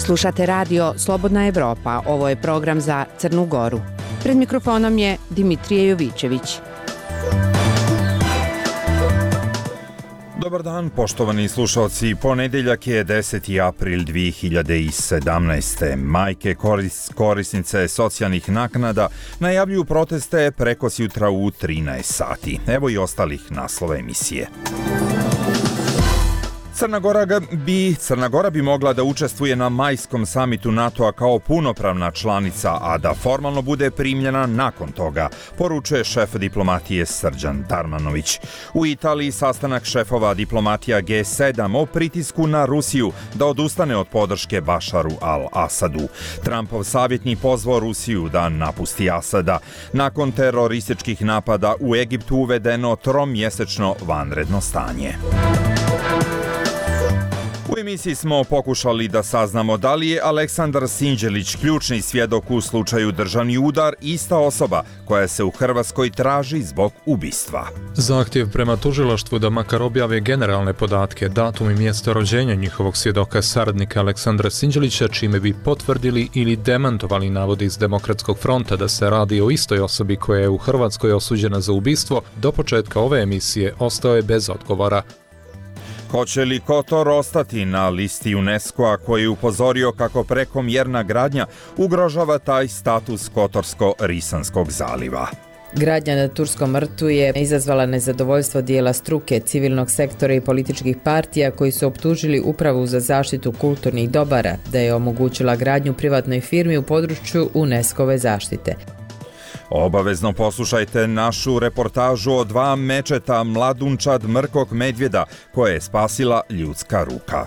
Slušate radio Slobodna Evropa, ovo je program za Crnu Goru. Pred mikrofonom je Dimitrije Jovićević. Dobar dan, poštovani slušalci. Ponedeljak je 10. april 2017. Majke korisnice socijalnih naknada najavljuju proteste prekosjutra u 13 sati. Evo i ostalih naslova emisije. Crna Gora bi mogla da učestvuje na majskom samitu NATO-a kao punopravna članica, a da formalno bude primljena nakon toga, poručuje šef diplomatije Srđan Darmanović. U Italiji sastanak šefova diplomatija G7 o pritisku na Rusiju da odustane od podrške Bašaru al-Asadu. Trumpov savjetnik pozvao Rusiju da napusti Asada. Nakon terorističkih napada u Egiptu uvedeno tromjesečno vanredno stanje. U emisiji smo pokušali da saznamo da li je Aleksandar Sinđelić, ključni svjedok u slučaju Državni udar, ista osoba koja se u Hrvatskoj traži zbog ubistva. Zahtjev prema tužilaštvu da makar objave generalne podatke, datum i mjesto rođenja njihovog svjedoka saradnika Aleksandra Sinđelića, čime bi potvrdili ili demantovali navode iz Demokratskog fronta da se radi o istoj osobi koja je u Hrvatskoj osuđena za ubistvo, do početka ove emisije ostao je bez odgovora. Hoće li Kotor ostati na listi UNESCO-a koji je upozorio kako prekomjerna gradnja ugrožava taj status Kotorsko-Risanskog zaliva? Gradnja na Turskom rtu je izazvala nezadovoljstvo dijela struke, civilnog sektora i političkih partija koji su optužili Upravu za zaštitu kulturnih dobara da je omogućila gradnju privatnoj firmi u području UNESCO-ve zaštite. Obavezno poslušajte našu reportažu o 2 mečeta mladunčad mrkog medvjeda koje je spasila ljudska ruka.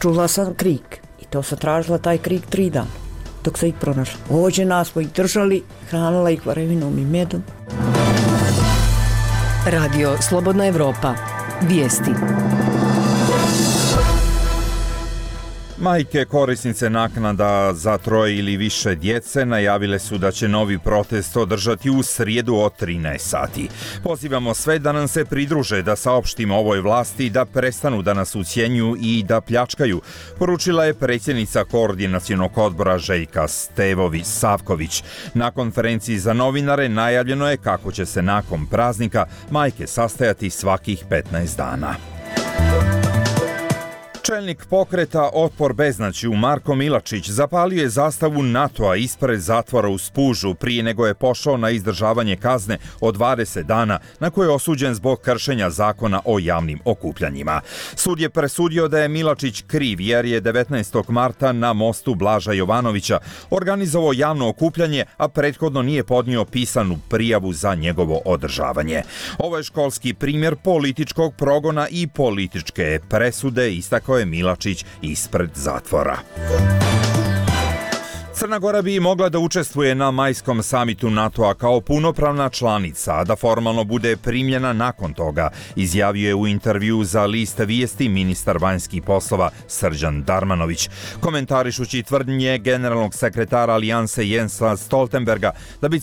Čula sam krik i to sam tražila taj krik 3 dana dok sam ih pronašla. Ođe nas smo ih držali, hranila ih varevinom i medom. Radio Slobodna Evropa. Vijesti. Majke korisnice naknada za 3 ili više djece najavile su da će novi protest održati u srijedu od 13 sati. Pozivamo sve da nam se pridruže, da saopštimo ovoj vlasti da prestanu da nas ucjenjuju i da pljačkaju, poručila je predsjednica Koordinacionog odbora Željka Stevović-Savković. Na konferenciji za novinare najavljeno je kako će se nakon praznika majke sastajati svakih 15 dana. Čelnik pokreta Otpor beznađu Marko Milačić zapalio je zastavu NATO-a ispred zatvora u Spužu prije nego je pošao na izdržavanje kazne od 20 dana na koje je osuđen zbog kršenja zakona o javnim okupljanjima. Sud je presudio da je Milačić kriv jer je 19. marta na mostu Blaža Jovanovića organizovao javno okupljanje, a prethodno nije podnio pisanu prijavu za njegovo održavanje. Ovo je školski primjer političkog progona i političke presude, istakao je Milačić ispred zatvora. Crna Gora bi mogla da učestvuje na majskom samitu NATO-a kao punopravna članica, a da formalno bude primljena nakon toga, izjavio je u intervju za list Vijesti ministar vanjskih poslova Srđan Darmanović. Komentarišući tvrdnje generalnog sekretara Alijanse Jensa Stoltenberga da bi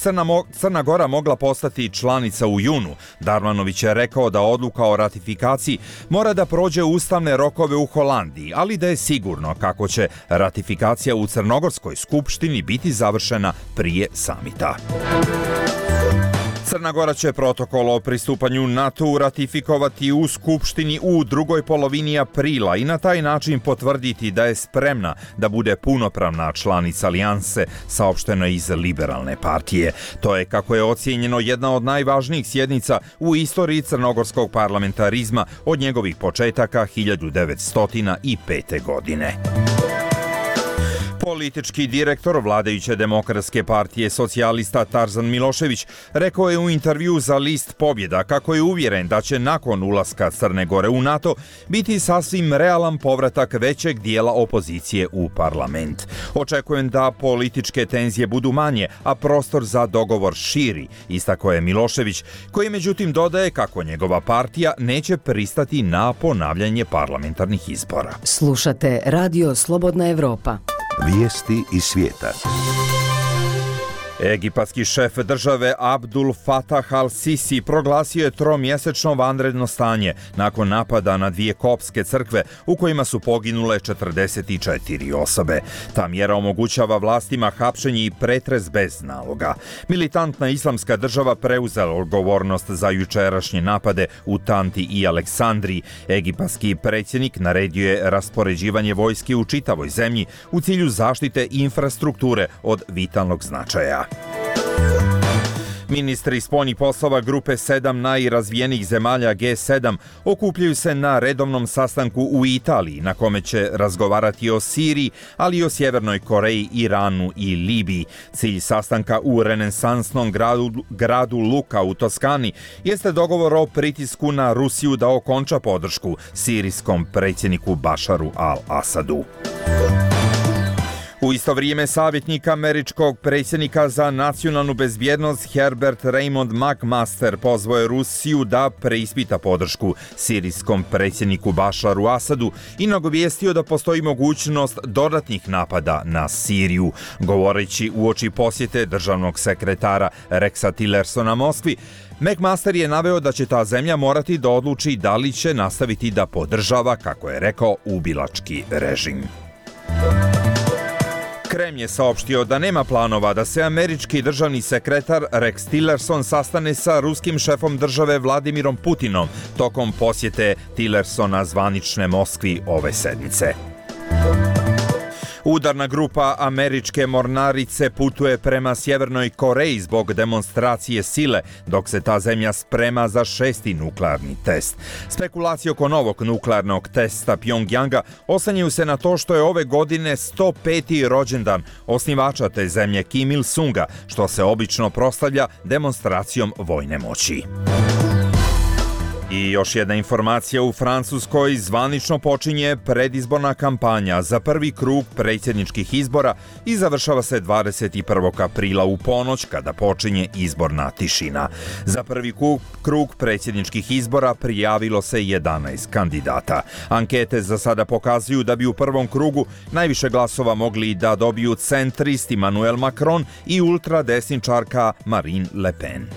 Crna Gora mogla postati članica u junu, Darmanović je rekao da odluka o ratifikaciji mora da prođe ustavne rokove u Holandiji, ali da je sigurno kako će ratifikacija u Crnogorskoj skupštini biti završena prije samita. Crna Gora će protokol o pristupanju NATO-u ratifikovati u Skupštini u drugoj polovini aprila i na taj način potvrditi da je spremna da bude punopravna članica alijanse, saopšteno iz Liberalne partije. To je, kako je ocijenjeno, jedna od najvažnijih sjednica u istoriji crnogorskog parlamentarizma od njegovih početaka 1905. godine. Politički direktor vladajuće Demokratske partije socijalista Tarzan Milošević rekao je u intervju za list Pobjeda kako je uvjeren da će nakon ulaska Crne Gore u NATO biti sasvim realan povratak većeg dijela opozicije u parlament. Očekujem da političke tenzije budu manje, a prostor za dogovor širi, istakao je Milošević, koji međutim dodaje kako njegova partija neće pristati na ponavljanje parlamentarnih izbora. Slušate Radio Slobodna Evropa. Vijesti iz svijeta. Egipatski šef države Abdul Fatah al-Sisi proglasio je tromjesečno vanredno stanje nakon napada na 2 koptske crkve u kojima su poginule 44 osobe. Ta mjera omogućava vlastima hapšenje i pretres bez naloga. Militantna islamska država preuzela odgovornost za jučerašnje napade u Tanti i Aleksandriji. Egipatski predsjednik naredio je raspoređivanje vojske u čitavoj zemlji u cilju zaštite infrastrukture od vitalnog značaja. Ministri spoljnih poslova grupe 7 najrazvijenijih zemalja G7 okupljaju se na redovnom sastanku u Italiji, na kome će razgovarati o Siriji, ali i o Sjevernoj Koreji, Iranu i Libiji. Cilj sastanka u renesansnom gradu Luka u Toskani jeste dogovor o pritisku na Rusiju da okonča podršku sirijskom predsjedniku Bašaru al-Asadu. U isto vrijeme savjetnik američkog predsjednika za nacionalnu bezbjednost Herbert Raymond McMaster pozvao je Rusiju da preispita podršku sirijskom predsjedniku Bašaru Asadu i nagovijestio da postoji mogućnost dodatnih napada na Siriju. Govoreći uoči posjete državnog sekretara Rexa Tillersona Moskvi, McMaster je naveo da će ta zemlja morati da odluči da li će nastaviti da podržava, kako je rekao, ubilački režim. Kreml je saopštio da nema planova da se američki državni sekretar Rex Tillerson sastane sa ruskim šefom države Vladimirom Putinom tokom posjete Tillersona zvanične Moskvi ove sedmice. Udarna grupa američke mornarice putuje prema Sjevernoj Koreji zbog demonstracije sile, dok se ta zemlja sprema za 6. nuklearni test. Spekulacije oko novog nuklearnog testa Pjongjanga oslanjaju se na to što je ove godine 105. rođendan osnivača te zemlje Kim Il-sunga, što se obično proslavlja demonstracijom vojne moći. I još jedna informacija, u Francuskoj zvanično počinje predizborna kampanja za prvi krug predsjedničkih izbora i završava se 21. aprila u ponoć kada počinje izborna tišina. Za prvi krug predsjedničkih izbora prijavilo se 11 kandidata. Ankete za sada pokazuju da bi u prvom krugu najviše glasova mogli da dobiju centrist Emmanuel Macron i ultradesničarka Marine Le Pen.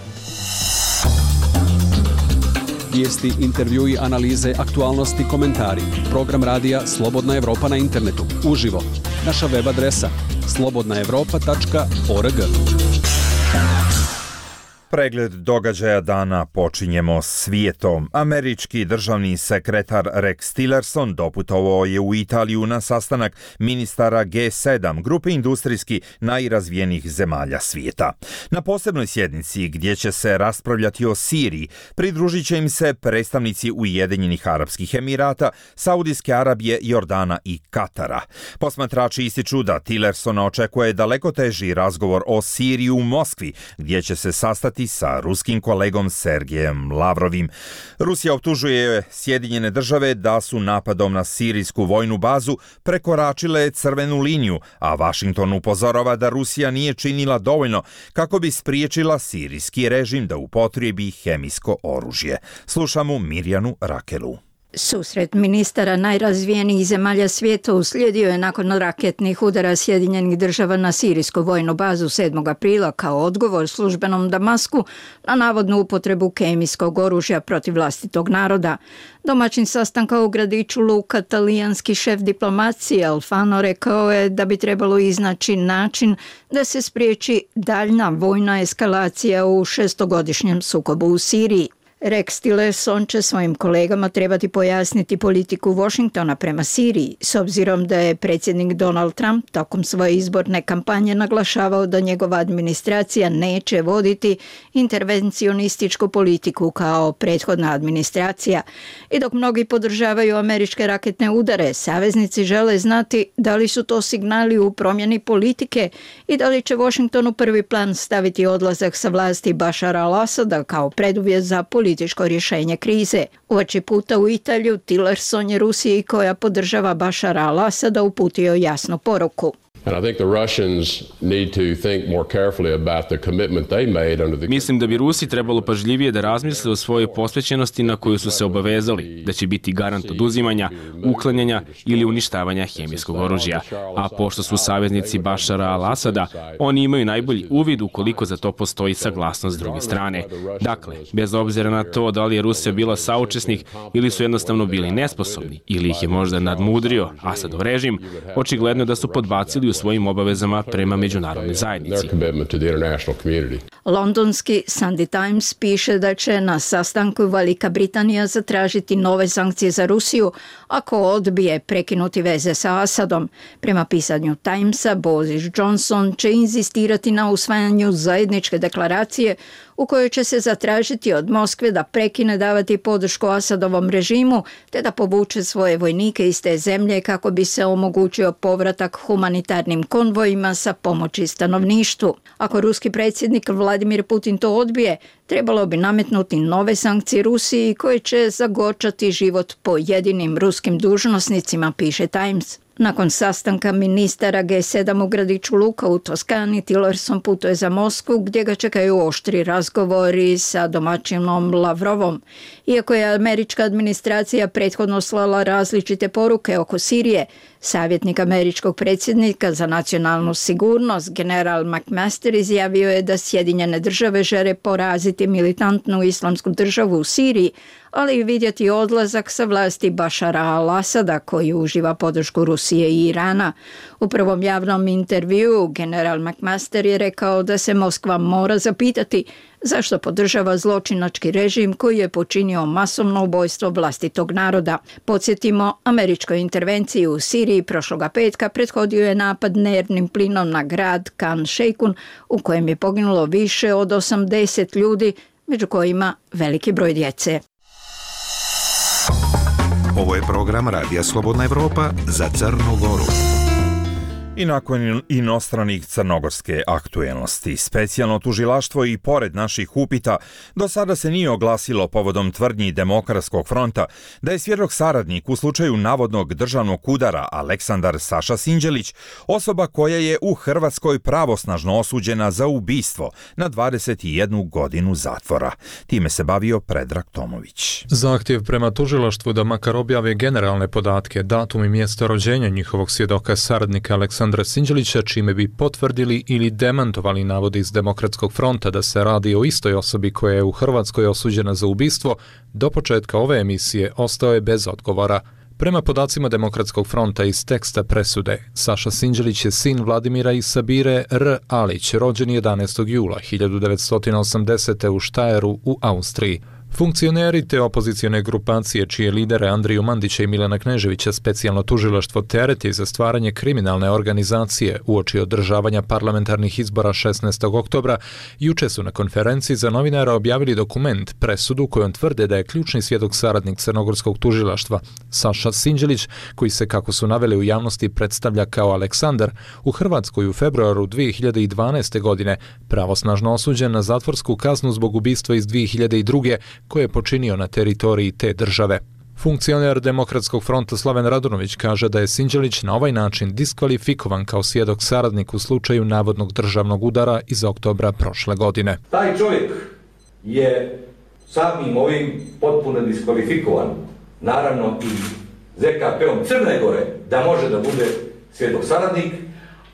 Vijesti, intervjui, analize, aktualnosti, komentari. Program radija Slobodna Evropa na internetu. Uživo. Naša web adresa slobodnaevropa.org. Pregled događaja dana počinjemo svijetom. Američki državni sekretar Rex Tillerson doputovao je u Italiju na sastanak ministara G7, grupe industrijski najrazvijenijih zemalja svijeta. Na posebnoj sjednici gdje će se raspravljati o Siriji, pridružit će im se predstavnici Ujedinjenih Arapskih Emirata, Saudijske Arabije, Jordana i Katara. Posmatrači ističu da Tillersona očekuje daleko teži razgovor o Siriji u Moskvi, gdje će se sastati sa ruskim kolegom Sergejem Lavrovim. Rusija optužuje Sjedinjene države da su napadom na sirijsku vojnu bazu prekoračile crvenu liniju, a Washington upozorava da Rusija nije činila dovoljno kako bi spriječila sirijski režim da upotrijebi hemijsko oružje. Slušamo Mirjanu Rakelu. Susret ministara najrazvijenijih zemalja svijeta uslijedio je nakon raketnih udara Sjedinjenih država na sirijsku vojnu bazu 7. aprila kao odgovor službenom Damasku na navodnu upotrebu kemijskog oružja protiv vlastitog naroda. Domaćin sastanka u gradiću Luka, talijanski šef diplomacije Alfano rekao je da bi trebalo iznaći način da se spriječi daljna vojna eskalacija u 6-godišnjem sukobu u Siriji. Rex Tillerson će svojim kolegama trebati pojasniti politiku Washingtona prema Siriji, s obzirom da je predsjednik Donald Trump tokom svoje izborne kampanje naglašavao da njegova administracija neće voditi intervencionističku politiku kao prethodna administracija. I dok mnogi podržavaju američke raketne udare, saveznici žele znati da li su to signali u promjeni politike i da li će Washington u prvi plan staviti odlazak sa vlasti Bašara al-Asada kao preduvjet za političko rješenje krize. Uoči puta u Italiju, Tillerson je Rusiji koja podržava Bašara al-Asada uputio jasnu poruku. Mislim da bi Rusi trebalo pažljivije da razmisle o svojoj posvećenosti na koju su se obavezali, da će biti garant oduzimanja, uklanjanja ili uništavanja hemijskog oružja. A pošto su saveznici Bašara al-Asada, oni imaju najbolji uvid ukoliko za to postoji saglasnost s druge strane. Dakle, bez obzira na to da li je Rusija bila saučesnik ili su jednostavno bili nesposobni ili ih je možda nadmudrio Asadov režim, očigledno je da su podbacili u svojim obavezama prema međunarodnoj zajednici. Londonski Sunday Times piše da će na sastanku Velika Britanija zatražiti nove sankcije za Rusiju ako odbije prekinuti veze sa Asadom. Prema pisanju Timesa, Boris Johnson će inzistirati na usvajanju zajedničke deklaracije u kojoj će se zatražiti od Moskve da prekine davati podršku Asadovom režimu te da povuče svoje vojnike iz te zemlje kako bi se omogućio povratak humanitarnim konvojima sa pomoći stanovništvu. Ako ruski predsjednik Vladimir Putin to odbije, trebalo bi nametnuti nove sankcije Rusiji koje će zagorčati život pojedinim ruskim dužnosnicima, piše Times. Nakon sastanka ministara G7 u gradiću Luka u Toskani, Tillerson putuje za Moskvu gdje ga čekaju oštri razgovori sa domaćinom Lavrovom. Iako je američka administracija prethodno slala različite poruke oko Sirije, savjetnik američkog predsjednika za nacionalnu sigurnost, general McMaster, izjavio je da Sjedinjene države žele poraziti militantnu islamsku državu u Siriji, ali i vidjeti odlazak sa vlasti Bašara al-Asada koji uživa podršku Rusije i Irana. U prvom javnom intervjuu general McMaster je rekao da se Moskva mora zapitati zašto podržava zločinački režim koji je počinio masovno ubojstvo vlastitog naroda. Podsjetimo, američkoj intervenciji u Siriji prošloga petka prethodio je napad nervnim plinom na grad Khan Sheikhoun u kojem je poginulo više od 80 ljudi, među kojima veliki broj djece. Ovo je program Radija Slobodna Evropa za Crnu Goru. I nakon inostranih crnogorske aktuelnosti, specijalno tužilaštvo i pored naših upita do sada se nije oglasilo povodom tvrdnji Demokratskog fronta da je svjedok saradnik u slučaju navodnog državnog udara Aleksandar Saša Sinđelić osoba koja je u Hrvatskoj pravosnažno osuđena za ubistvo na 21 godinu zatvora. Time se bavio Predrag Tomović. Zahtjev prema tužilaštvu da makar objave generalne podatke, datum i mjesto rođenja njihovog svjedoka saradnika Aleksandra Sinđelića, čime bi potvrdili ili demantovali navode iz Demokratskog fronta da se radi o istoj osobi koja je u Hrvatskoj osuđena za ubistvo, do početka ove emisije ostao je bez odgovora. Prema podacima Demokratskog fronta iz teksta presude, Saša Sinđelić je sin Vladimira i Sabire R. Alić, rođen 11. jula 1980. u Štajeru u Austriji. Funkcioneri te opozicione grupacije čije lidere Andriju Mandića i Milana Kneževića specijalno tužilaštvo tereti za stvaranje kriminalne organizacije uoči održavanja parlamentarnih izbora 16. oktobra, juče su na konferenciji za novinara objavili dokument, presudu kojom tvrde da je ključni svjedok saradnik crnogorskog tužilaštva Saša Sinđelić, koji se, kako su naveli u javnosti, predstavlja kao Aleksandar, u Hrvatskoj u februaru 2012. godine pravosnažno osuđen na zatvorsku kaznu zbog ubistva iz 2002. koje je počinio na teritoriji te države. Funkcioner Demokratskog fronta Slaven Radunović kaže da je Sinđelić na ovaj način diskvalifikovan kao svjedok saradnik u slučaju navodnog državnog udara iz oktobra prošle godine. Taj čovjek je samim ovim potpuno diskvalifikovan, naravno i ZKP-om Crne Gore, da može da bude svjedok saradnik,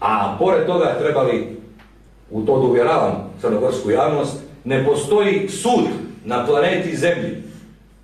a pored toga trebali, u to da uvjeravam crnogorsku javnost, ne postoji sud na planeti Zemlji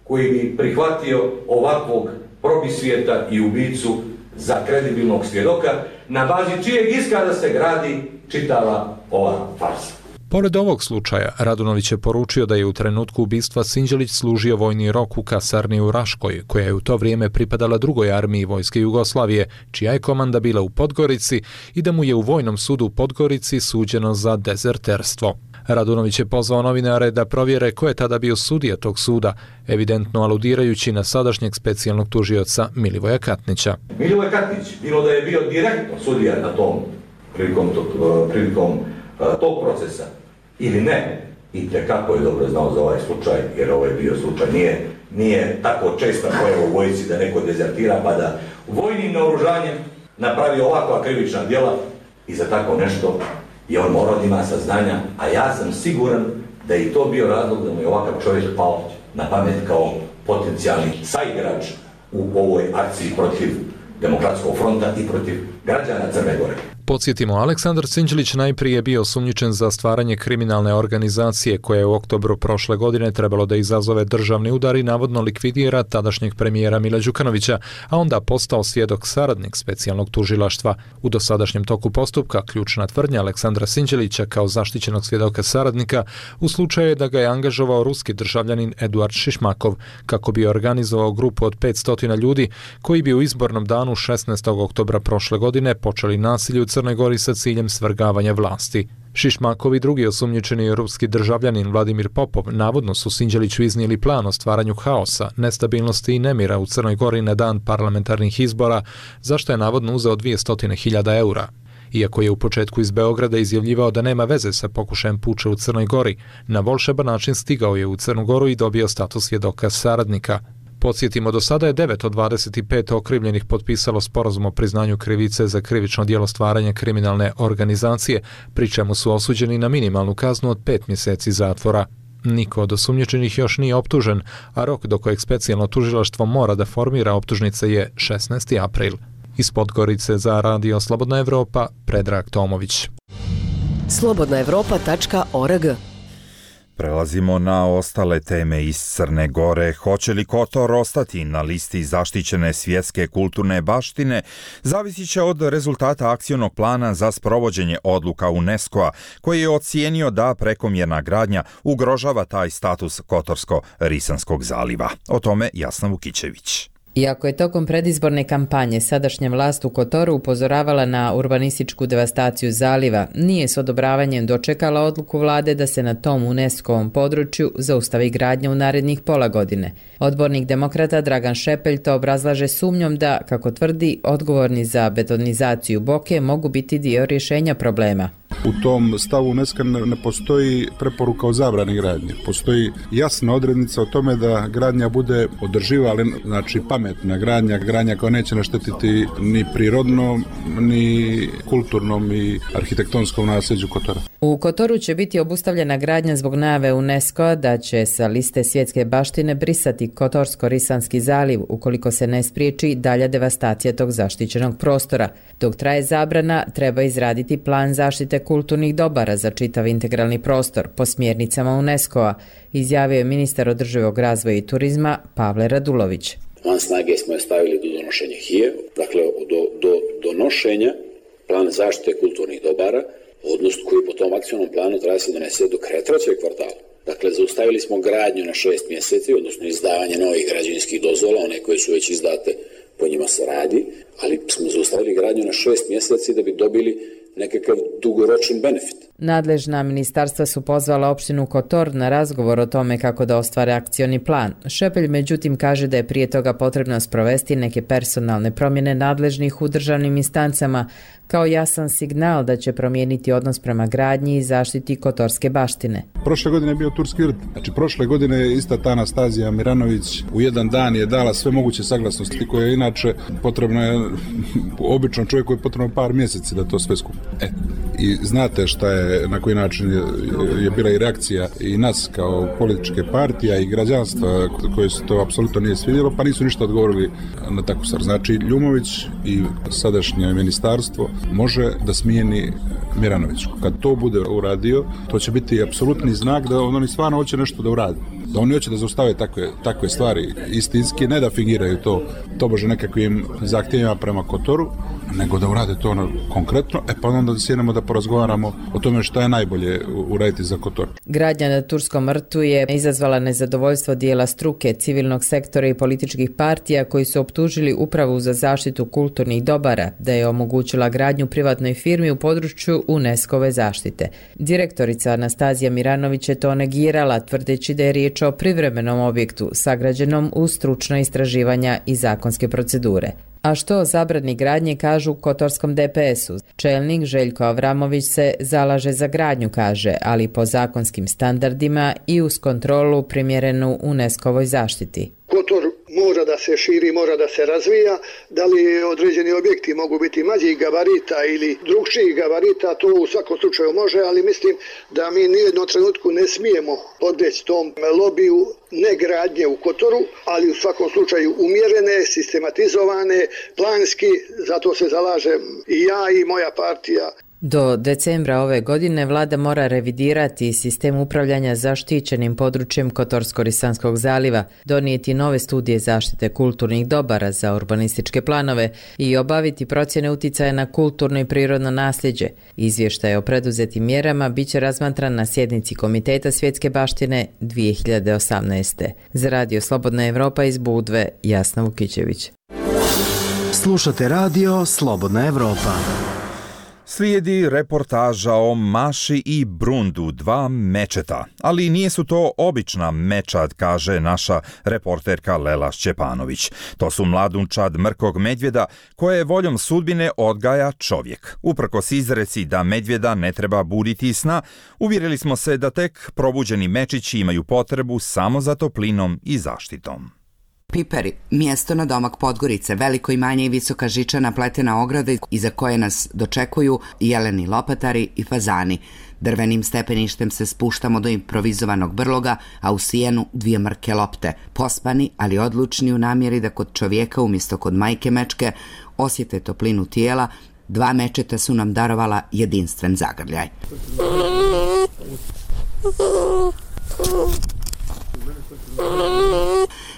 koji bi prihvatio ovakvog probisvijeta i ubicu za kredibilnog svjedoka, na bazi čijeg iskaza se gradi čitava ova farsa. Pored ovog slučaja, Radunović je poručio da je u trenutku ubistva Sinđelić služio vojni rok u kasarni u Raškoj, koja je u to vrijeme pripadala drugoj armiji vojske Jugoslavije, čija je komanda bila u Podgorici, i da mu je u Vojnom sudu u Podgorici suđeno za dezerterstvo. Radunović je pozvao novinare da provjere ko je tada bio sudija tog suda, evidentno aludirajući na sadašnjeg specijalnog tužioca Milivoja Katnića. Milivoj Katnić, bilo da je bio direktno sudija na tom prilikom tog procesa ili ne, i tekako je dobro znao za ovaj slučaj, jer ovo je bio slučaj, nije tako česta pojava u vojsci da neko dezertira pa da vojnim naoružanjem napravi ovakva krivična djela i za tako nešto je on morao da ima saznanja, a ja sam siguran da je i to bio razlog da mu je ovakav čovjek pao na pamet kao potencijalni saigrač u ovoj akciji protiv Demokratskog fronta i protiv građana Crne Gore. Podsjetimo, Aleksandar Sinđelić najprije bio osumnjičen za stvaranje kriminalne organizacije koja je u oktobru prošle godine trebalo da izazove državni udar i navodno likvidira tadašnjeg premijera Mila Đukanovića, a onda postao svjedok saradnik specijalnog tužilaštva. U dosadašnjem toku postupka ključna tvrdnja Aleksandra Sinđelića kao zaštićenog svjedoka saradnika u slučaju je da ga je angažovao ruski državljanin Eduard Šišmakov kako bi organizovao grupu od 500 ljudi koji bi u izbornom danu 16. oktobra prošle godine počeli nasilje u Crnoj Gori sa ciljem svrgavanja vlasti. Šišmakov i drugi osumnjičeni ruski državljanin Vladimir Popov navodno su Sinđeliću iznijeli plan o stvaranju haosa, nestabilnosti i nemira u Crnoj Gori na dan parlamentarnih izbora, zašto je navodno uzeo 200.000 eura. Iako je u početku iz Beograda izjavljivao da nema veze sa pokušajem puča u Crnoj Gori, na volšeban način stigao je u Crnu Goru i dobio status svjedoka saradnika. Podsjetimo, do sada je 9 od 25 okrivljenih potpisalo sporazum o priznanju krivice za krivično djelo stvaranja kriminalne organizacije, pri čemu su osuđeni na minimalnu kaznu od 5 mjeseci zatvora. Niko od osumnjičenih još nije optužen, a rok do kojeg specijalno tužilaštvo mora da formira optužnice je 16. april. Iz Podgorice za Radio Slobodna Evropa, Predrag Tomović. slobodnaevropa.org. Prelazimo na ostale teme iz Crne Gore. Hoće li Kotor ostati na listi zaštićene svjetske kulturne baštine, zavisit će od rezultata akcionog plana za sprovođenje odluka UNESCO-a, koji je ocijenio da prekomjerna gradnja ugrožava taj status Kotorsko-Risanskog zaliva. O tome Jasna Vukićević. Iako je tokom predizborne kampanje sadašnja vlast u Kotoru upozoravala na urbanističku devastaciju zaliva, nije s odobravanjem dočekala odluku vlade da se na tom UNESCO-ovom području zaustavi gradnja u narednih pola godine. Odbornik demokrata Dragan Šepelj to obrazlaže sumnjom da, kako tvrdi, odgovorni za betonizaciju Boke mogu biti dio rješenja problema. U tom stavu UNESCO ne postoji preporuka o zabrani gradnje. Postoji jasna odrednica o tome da gradnja bude održiva, ali znači pametna gradnja koja neće naštetiti ni prirodnom, ni kulturnom i arhitektonskom nasljeđu Kotora. U Kotoru će biti obustavljena gradnja zbog najave UNESCO-a da će sa liste svjetske baštine brisati Kotorsko-Risanski zaliv ukoliko se ne spriječi dalja devastacija tog zaštićenog prostora. Dok traje zabrana, treba izraditi plan zaštite kulturnih dobara za čitav integralni prostor po smjernicama UNESCO-a, izjavio je ministar održivog razvoja i turizma Pavle Radulović. Van snage smo je stavili do donošenja HIE, dakle do donošenja plana zaštite kulturnih dobara, odnosno koji po tom akcionom planu treba se donese do kraja trećeg kvartala. Dakle, zaustavili smo gradnju na 6 mjeseci, odnosno izdavanje novih građevinskih dozvola, one koje su već izdate, po njima se radi, ali smo zaustavili gradnju na 6 mjeseci da bi dobili nekakav dugoročan benefit. Nadležna ministarstva su pozvala opštinu Kotor na razgovor o tome kako da ostvare akcioni plan. Šepelj međutim kaže da je prije toga potrebno sprovesti neke personalne promjene nadležnih u državnim instancama kao jasan signal da će promijeniti odnos prema gradnji i zaštiti kotorske baštine. Prošle godine je bio Turski vrt. Znači prošle godine je ista ta Anastazija Miranović u jedan dan je dala sve moguće saglasnosti koje je inače potrebno je običnom čovjeku je potrebno par mjeseci da to sve skupi. I znate šta je, na koji način je bila i reakcija i nas kao političke partija i građanstva koje se to apsolutno nije svidjelo, pa nisu ništa odgovorili na takvu stvar. Znači Ljumović i sadašnje ministarstvo može da smijeni Miranoviću. Kad to bude uradio, to će biti apsolutni znak da oni stvarno hoće nešto da uradi. Da oni hoće da zaustave takve stvari istinski, ne da fingiraju to bože nekakvim zahtjevima prema Kotoru, nego da urade to konkretno, pa onda da sjednemo da porazgovaramo o tome što je najbolje uraditi za Kotor. Gradnja na Turskom rtu je izazvala nezadovoljstvo dijela struke, civilnog sektora i političkih partija koji su optužili Upravu za zaštitu kulturnih dobara da je omogućila gradnju privatnoj firmi u području UNESCO-ve zaštite. Direktorica Anastazija Miranović je to negirala, tvrdeći da je riječ o privremenom objektu sagrađenom uz stručna istraživanja i zakonske procedure. A što o zabrani gradnje kažu u kotorskom DPS-u? Čelnik Željko Avramović se zalaže za gradnju, kaže, ali po zakonskim standardima i uz kontrolu primjerenu UNESCO-voj zaštiti. Kotor mora da se širi, mora da se razvija. Da li određeni objekti mogu biti manjih gabarita ili drugčijih gabarita, to u svakom slučaju može, ali mislim da mi nijednom trenutku ne smijemo podleći tom lobiju negradnje u Kotoru, ali u svakom slučaju umjerene, sistematizovane, planski, zato se zalažem i ja i moja partija. Do decembra ove godine vlada mora revidirati sistem upravljanja zaštićenim područjem Kotorsko-Risanskog zaliva, donijeti nove studije zaštite kulturnih dobara za urbanističke planove i obaviti procjene uticaja na kulturno i prirodno nasljeđe. Izvještaj o preduzetim mjerama bit će razmatran na sjednici Komiteta svjetske baštine 2018. Za Radio Slobodna Evropa iz Budve, Jasna Vukićević. Slušate radio Slobodna Evropa. Slijedi reportaža o Maši i Brundu, dva mečeta. Ali nije su to obična mečad, kaže naša reporterka Lela Šćepanović. To su mladunčad mrkog medvjeda koje voljom sudbine odgaja čovjek. Uprkos izreci da medvjeda ne treba buditi sna, uvjerili smo se da tek probuđeni mečići imaju potrebu samo za toplinom i zaštitom. Piperi, mjesto na domak Podgorice, veliko imanje i visoka žičana pletena ograda iza koje nas dočekuju jeleni lopatari i fazani. Drvenim stepeništem se spuštamo do improvizovanog brloga, a u sijenu dvije mrke lopte, pospani ali odlučni u namjeri da kod čovjeka umjesto kod majke mečke osjete toplinu tijela. Dva mečeta su nam darovala jedinstven zagrljaj.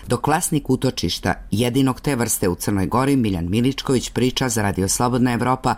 Dok vlasnik utočišta, jedinog te vrste u Crnoj Gori, Miljan Miličković, priča za Radio Slobodna Evropa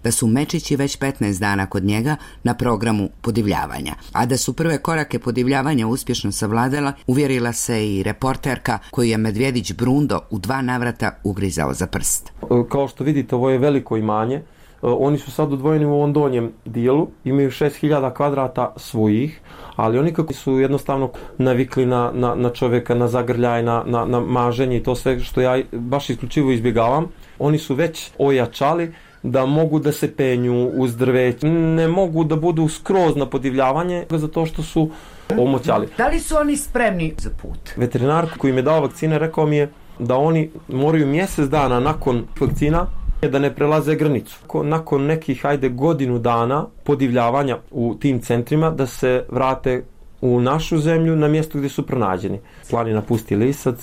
da su mečići već 15 dana kod njega na programu podivljavanja. A da su prve korake podivljavanja uspješno savladala, uvjerila se i reporterka koju je medvjedić Brundo u 2 navrata ugrizao za prst. Kao što vidite, ovo je veliko imanje. Oni su sad odvojeni u ovom donjem dijelu, imaju 6000 kvadrata svojih, ali oni kako su jednostavno navikli na čovjeka, na zagrljaj, na maženje i to sve što ja baš isključivo izbjegavam, oni su već ojačali da mogu da se penju uz drveće, ne mogu da budu skroz na podivljavanje zato što su omoćali. Da li su oni spremni za put? Veterinar koji mi je dao vakcine rekao mi je da oni moraju mjesec dana nakon vakcina da ne prelaze granicu. Nakon nekih, godinu dana podivljavanja u tim centrima da se vrate u našu zemlju na mjesto gdje su pronađeni. Planina Pusti lisac.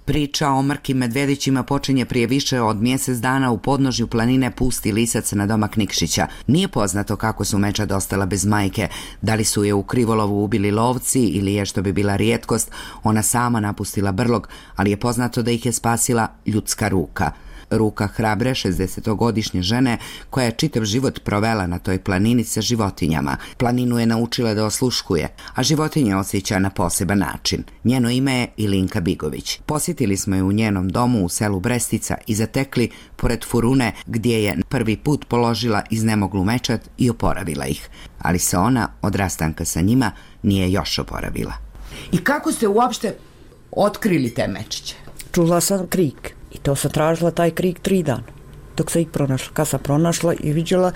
Priča o mrkim medvjedićima počinje prije više od mjesec dana u podnožju planine Pusti lisac na domak Nikšića. Nije poznato kako su mečad ostala bez majke, da li su je u krivolovu ubili lovci ili je, što bi bila rijetkost, ona sama napustila brlog, ali je poznato da ih je spasila ljudska ruka. Ruka hrabre 60-godišnje žene koja je čitav život provela na toj planini sa životinjama. Planinu je naučila da osluškuje, a životinje osjeća na poseban način. Njeno ime je Ilinka Bigović. Posjetili smo je u njenom domu u selu Brestica i zatekli pored furune gdje je prvi put položila iznemoglu mečad i oporavila ih. Ali se ona od rastanka sa njima nije još oporavila. I kako ste uopšte otkrili te mečiće? Čula sam krik. I to sam tražila taj krik 3 dana, dok sam ih pronašla. Kad sam pronašla i vidjela,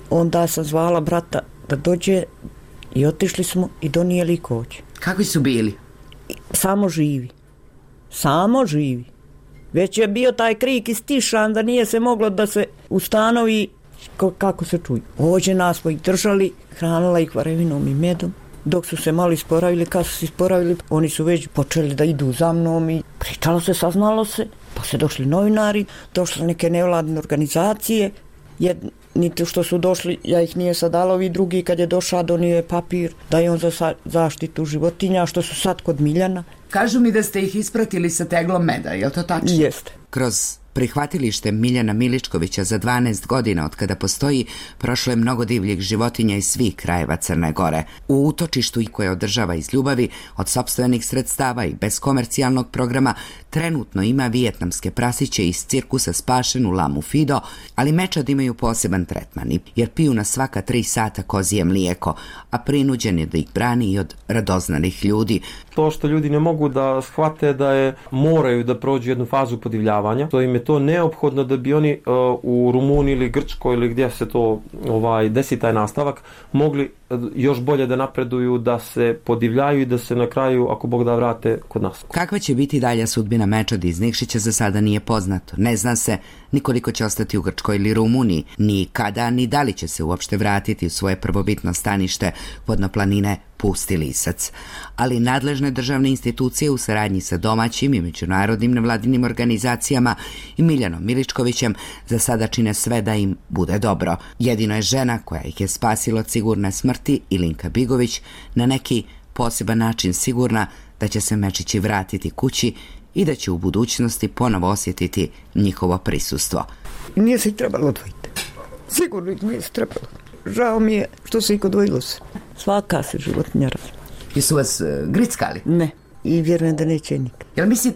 onda sam zvala brata da dođe i otišli smo i donijeli kođe. Kakvi su bili? Samo živi. Samo živi. Već je bio taj krik istišan da nije se moglo da se ustanovi kako se čuje. Ođe nas smo ih držali, hranila ih varevinom i medom. Dok su se malo isporavili, kad su se isporavili, oni su već počeli da idu za mnom i pričalo se, saznalo se. Pa se došli novinari, došle neke nevladine organizacije, jedni što su došli, ja ih nije sad dala, ovi drugi kad je došao donio je papir da je on za zaštitu životinja, što su sad kod Miljana. Kažu mi da ste ih ispratili sa teglom meda, je li to tačno? Jeste. Kroz prihvatilište Miljana Miličkovića za 12 godina od kada postoji prošlo je mnogo divljih životinja iz svih krajeva Crne Gore. U utočištu koje održava iz ljubavi, od sopstvenih sredstava i bez komercijalnog programa, trenutno ima vijetnamske prasiće iz cirkusa spašenu lamu Fido, ali mečad imaju poseban tretman jer piju na svaka 3 sata kozije mlijeko, a prinuđen je da ih brani i od radoznanih ljudi. To što ljudi ne mogu da shvate da moraju da prođu jednu fazu podivljavanja, to im je to neophodno da bi oni u Rumuniji ili Grčkoj ili gdje se to desi taj nastavak mogli još bolje da napreduju, da se podivljaju i da se na kraju, ako Bog da, vrate kod nas. Kakva će biti dalja sudbina Mečada iz Nikšića za sada nije poznato. Ne zna se ni koliko će ostati u Grčkoj ili Rumuniji, ni kada, ni da li će se uopšte vratiti u svoje prvobitno stanište vodnoplanine Pusti Lisac. Ali nadležne državne institucije u saradnji sa domaćim i međunarodnim nevladinim organizacijama i Miljanom Miličkovićem za sada čine sve da im bude dobro. Jedino je žena koja ih je spasila od sigurne smrti, Ilinka Bigović, na neki poseban način sigurna da će se Mečići vratiti kući i da će u budućnosti ponovo osjetiti njihovo prisustvo. Nije se ih trebalo odvojiti. Sigurno ih nije se trebalo. Žao mi je što se ih odvojilo se. Svaka se životinja razvija. Jesu vas grickali? Ne. I vjerujem da neće nikad.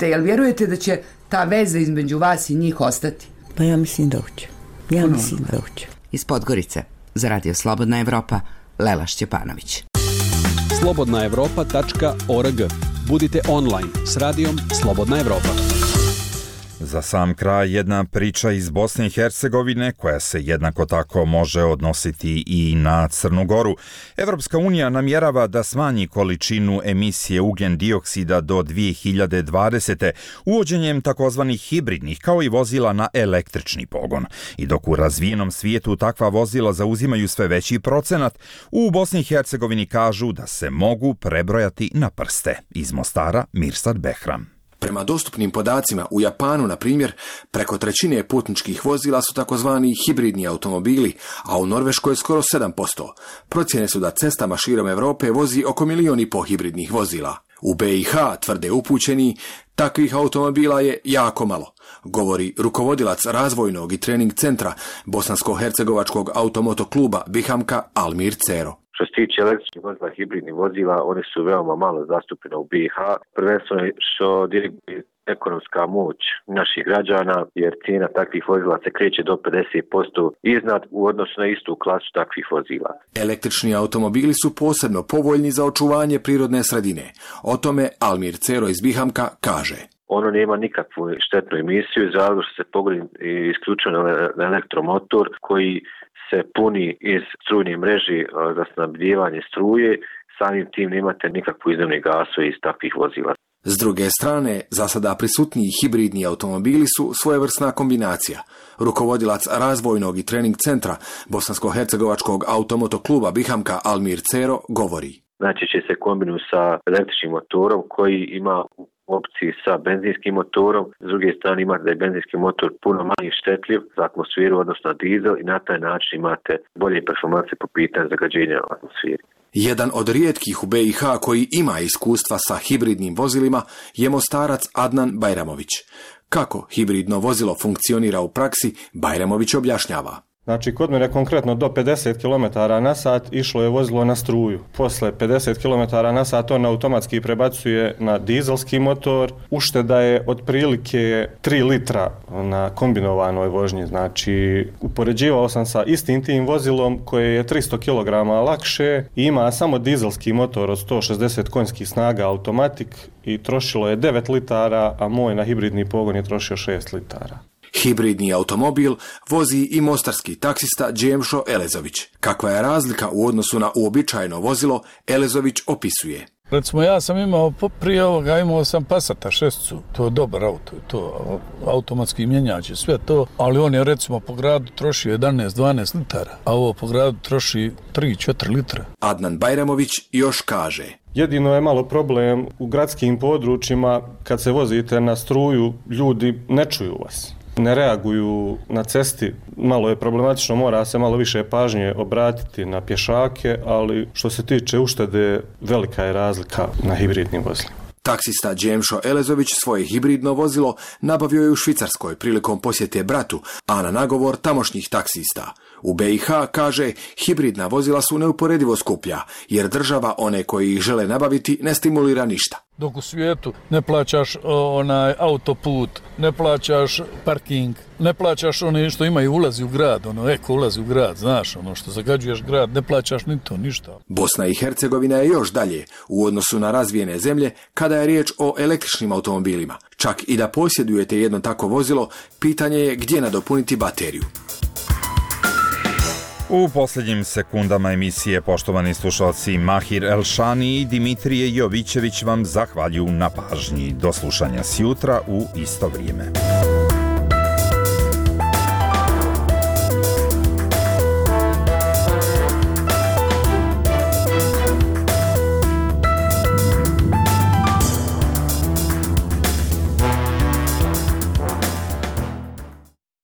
Jel vjerujete da će ta veza između vas i njih ostati? Pa ja mislim da hoće. Mislim da hoće. Iz Podgorice, za Radio Slobodna Evropa, Lela Šćepanović. slobodnaevropa.org. Budite online s radijom Slobodna Evropa. Za sam kraj jedna priča iz Bosne i Hercegovine koja se jednako tako može odnositi i na Crnu Goru. Evropska unija namjerava da smanji količinu emisije ugljen dioksida do 2020. uvođenjem takozvanih hibridnih kao i vozila na električni pogon. I dok u razvijenom svijetu takva vozila zauzimaju sve veći procenat, u Bosni i Hercegovini kažu da se mogu prebrojati na prste. Iz Mostara, Mirsad Behram. Prema dostupnim podacima, u Japanu, na primjer, preko trećine putničkih vozila su takozvani hibridni automobili, a u Norveškoj skoro 7%. Procjene su da cestama širom Europe vozi oko 1,5 miliona hibridnih vozila. U BiH, tvrde upućeni, takvih automobila je jako malo, govori rukovodilac razvojnog i trening centra Bosansko-hercegovačkog automoto kluba Bihamka Almir Cero. Što se tiče električnih vozila, hibridnih vozila, one su veoma malo zastupljene u BiH, prvenstveno što diriguje ekonomska moć naših građana, jer cijena takvih vozila se kreće do 50% iznad u odnosu na istu klasu takvih vozila. Električni automobili su posebno povoljni za očuvanje prirodne sredine. O tome Almir Cero iz Bihamka kaže. Ono nema nikakvu štetnu emisiju, zato što se pogoni isključeno na elektromotor koji se puni iz strujne mreži za snabdijevanje struje, samim tim nemate nikakvu izduvne gasove iz takvih vozila. S druge strane, za sada prisutniji hibridni automobili su svojevrsna kombinacija. Rukovodilac razvojnog i trening centra Bosansko-hercegovačkog automoto kluba Bihamka Almir Cero govori. Znači će se kombinuju sa električnim motorom koji ima opciji sa benzinskim motorom, s druge strane imate da je benzinski motor puno manje štetljiv za atmosferu odnosno dizel i na taj način imate bolje performanse po pitanju zagađenja u atmosferi. Jedan od rijetkih u BiH koji ima iskustva sa hibridnim vozilima je Mostarac Adnan Bajramović. Kako hibridno vozilo funkcionira u praksi, Bajramović objašnjava. Znači, kod mene konkretno do 50 km/h išlo je vozilo na struju. Posle 50 km/h on automatski prebacuje na dizelski motor. Ušteda je otprilike 3 litra na kombinovanoj vožnji. Znači, upoređivao sam sa istim tim vozilom koje je 300 kg lakše i ima samo dizelski motor od 160 konjskih snaga automatik i trošilo je 9 litara, a moj na hibridni pogon je trošio 6 litara. Hibridni automobil vozi i mostarski taksista Džemšo Elezović. Kakva je razlika u odnosu na uobičajeno vozilo, Elezović opisuje. Recimo, ja sam imao, prije ovoga imao sam Passata 6, to je dobar auto, to automatski mjenjač je sve to, ali on je recimo po gradu trošio 11-12 litara, a ovo po gradu troši 3-4 litra. Adnan Bajramović još kaže. Jedino je malo problem u gradskim područjima, kad se vozite na struju, ljudi ne čuju vas. Ne reaguju na cesti, malo je problematično, mora se malo više pažnje obratiti na pješake, ali što se tiče uštede, velika je razlika na hibridnim vozilima. Taksista Džemšo Elezović svoje hibridno vozilo nabavio je u Švicarskoj prilikom posjete bratu, a na nagovor tamošnjih taksista. U BiH, kaže, hibridna vozila su neuporedivo skuplja, jer država one koji ih žele nabaviti ne stimulira ništa. Dok u svijetu ne plaćaš autoput, ne plaćaš parking, ne plaćaš one što imaju ulazi u grad, eko ulazi u grad, znaš, što zagađuješ grad, ne plaćaš ni to, ništa. Bosna i Hercegovina je još dalje u odnosu na razvijene zemlje kada je riječ o električnim automobilima. Čak i da posjedujete jedno tako vozilo, pitanje je gdje nadopuniti bateriju. U posljednjim sekundama emisije, poštovani slušalci, Mahir Elšani i Dimitrije Jovićević vam zahvaljuju na pažnji. Do slušanja sjutra u isto vrijeme.